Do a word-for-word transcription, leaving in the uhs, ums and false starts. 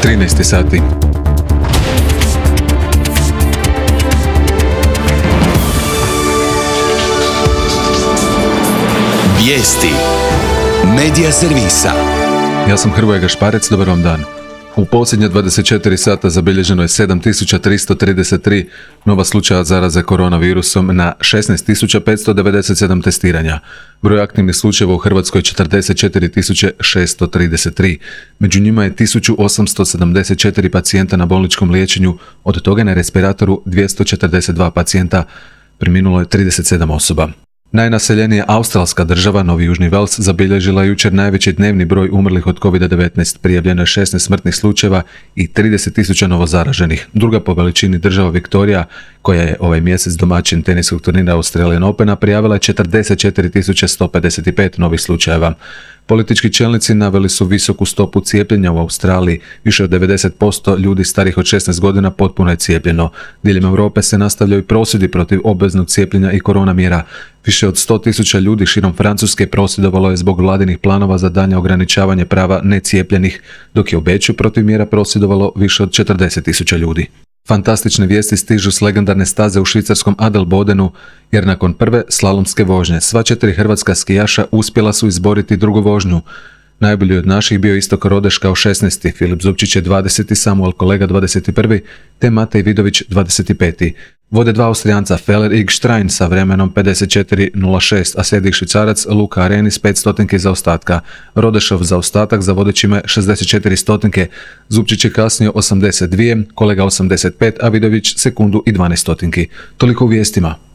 trinaest sati. Vijesti Medija servisa. Ja sam Hrvoje Gašparec, dobar vam dan. U posljednje dvadeset četiri sata zabilježeno je sedam tisuća tristo trideset tri nova slučaja zaraze koronavirusom na šesnaest tisuća petsto devedeset sedam testiranja. Broj aktivnih slučajeva u Hrvatskoj je četrdeset četiri tisuće šesto trideset tri. Među njima je tisuću osamsto sedamdeset četiri pacijenta na bolničkom liječenju, od toga na respiratoru dvjesto četrdeset dva pacijenta, preminulo je trideset sedam osoba. Najnaseljenija australska država, Novi Južni Vels, zabilježila je jučer najveći dnevni broj umrlih od kovid devetnaest, prijavljeno je šesnaest smrtnih slučajeva i trideset tisuća novozaraženih. Druga po veličini država Viktorija, koja je ovaj mjesec domaćin teniskog turnira Australian Opena, prijavila je četrdeset četiri tisuće sto pedeset pet novih slučajeva. Politički čelnici naveli su visoku stopu cijepljenja u Australiji. Više od devedeset posto ljudi starih od šesnaest godina potpuno je cijepljeno. Diljem Europe se nastavljaju prosvjedi protiv obveznog cijepljenja i korona mjera. Više od sto tisuća ljudi širom Francuske prosvjedovalo je zbog vladinih planova za daljnje ograničavanje prava necijepljenih, dok je u Beču protiv mjera prosvjedovalo više od četrdeset tisuća ljudi. Fantastične vijesti stižu s legendarne staze u švicarskom Adelbodenu, jer nakon prve slalomske vožnje sva četiri hrvatska skijaša uspjela su izboriti drugu vožnju. Najbolji od naših bio Istok Rodeš kao šesnaesti, Filip Zupčić je dvadeseti, Samuel Kolega dvadeset prvi, te Matej Vidović dvadeset peti. Vode dva Austrijanca Feller i Gštrein sa vremenom pedeset četiri nula šest, a slijedi Švicarac Luka Arenis pet stotinki zaostatka. Rodešov zaostatak za vodećima šezdeset četiri stotinke, Zupčić je kasnio osamdeset dvije, Kolega osamdeset pet, a Vidović sekundu i dvanaest stotinki. Toliko u vijestima.